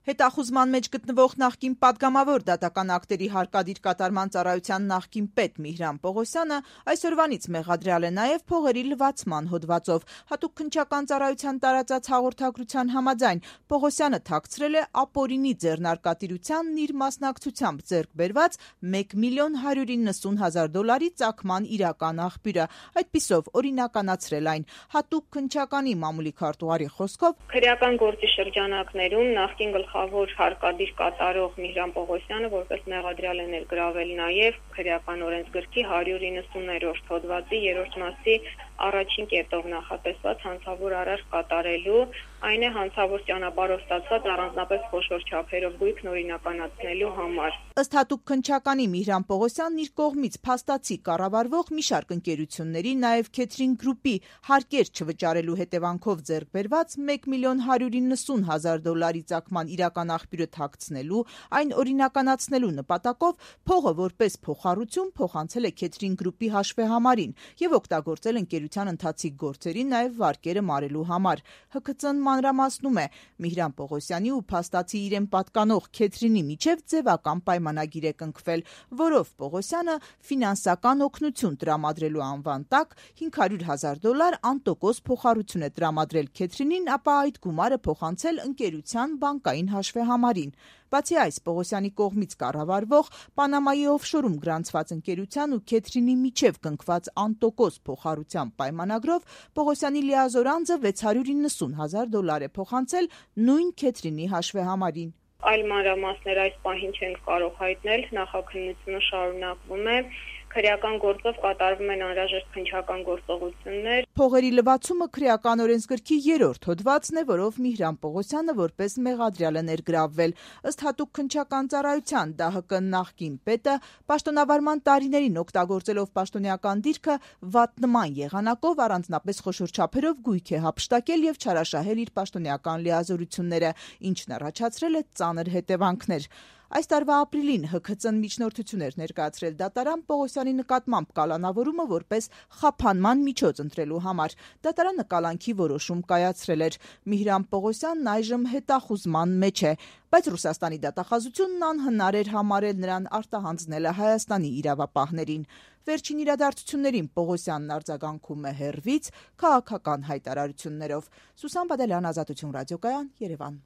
Հետախուզման մեջ գտնվող նախկին պատգամավոր դատական ակտերի հարկադիր կատարման ծառայության նախկին պետ Միհրան Պողոսյանը այսօրվանից մեղադրյալ է նաև փողերի լվացման հոդվածով։ Հատուկ քննչական ծառայության տարածած հաղորդագրության համաձայն Պողոսյանը թաքցրել է ապօրինի ձեռնարկատիրությանն իր մասնակցությամբ ձեռք բերված $1,190,000 ծագման իրական աղբյուրը, այդպիսով օրինականացրել այն։ Հատուկ քննչականի մամուլի քարտուղարի խոսքով քրեական գործի շրջանակներում նախկին գլխավոր հարկադիր կատարող Միհրան Պողոսյանը որպես մեղադրյալ է ներգրավել նաև քրեական օրենսգրքի 190-րդ հոդվածի 3-րդ մասի առաջին կետով նախատեսված հանցավոր արարք կատարելու, այն է հանցավոր ճանապարհով ստացված առանձնապես խոշոր չափերով գույքն օրինականացնելու համար։ Ըստ հատուկ քննչականի Միհրան Պողոսյանն իր կողմից փաստացի կառավարվող մի շարք ընկերությունների, նաև Քեթրին գրուպի հարկեր չվճարելու հետևանքով ձեռք բերված $1,190,000 ծագման իրական աղբյուրը թաքցնելու, այն օրինականացնելու նպատակով փողը որպես փոխառություն փոխանցել է Քեթրին գրուպի հաշվեհամարին եւ օգտագործել ընկերության ընթացիկ գործերի, նաև վարկերը մարելու համար։ ՀՔԾ-ն մանրամասնում է, Միհրան Պողոսյանի ու փաստացի իրեն պատկանող Քեթրինի միջև ձևական պայմանագիր է կնքվել, որով Պողոսյանը ֆինանսական օգնություն տրամադրելու անվան տակ $500,000 անտոկոս փոխառություն է տրամադրել Քեթրինին, ապա այդ գումարը փոխանցել ընկերության բանկային հաշվեհամարին։ Բացի այս, Պողոսյանի կողմից կառավարվող Պանամայի օֆշորում գրանցված ընկերության ու Քեթրինի միջև կնքված անտոկոս փոխառության պայմանագրով Պողոսյանի լիազոր անձը $690,000 է փոխանցել նույն Քեթրինի հաշվեհամարին։ Այլ մանրամասներ այս պահին չենք կարող հայտնել, նախաքննությունը շարունակվում է։ Քրեական գործով կատարվում են անհրաժեշտ քննչական գործողություններ։ Փողերի լվացումը քրեական օրենսգրքի 3-րդ հոդվածն է, որով Միհրան Պողոսյանը որպես մեղադրյալ է ներգրավվել։ Ըստ հատուկ քննչական ծառայության ԴՀԿ նախկին պետը պաշտոնավարման տարիներին օգտագործելով պաշտոնեական դիրքը վատնման եղանակով առանձնապես խոշոր չափերով գույք է հափշտակել եւ չարաշահել իր պաշտոնեական լիազորությունները, ինչն առաջացրել է ծանր հետևանքներ։ Այս տարվա ապրիլին ՀՔԾ-ն միջնորդություն էր ներկայացրել դատարան Պողոսյանի նկատմամբ կալանավորումը որպես խափանման միջոց ընտրելու համար։ Դատարանը կալանքի որոշում կայացրել էր։ Միհրան Պողոսյանն այժմ հետախուզման մեջ է, բայց Ռուսաստանի դատախազությունն անհնար էր համարել նրան արտահանձնելը Հայաստանի իրավապահներին։ Վերջին իրադարձություններին Պողոսյանն արձագանքում է հեռվից, քաղաքական հայտարարություններով։ Սուսան Բադալյան, Ազատություն ռադիոկայան, Երևան։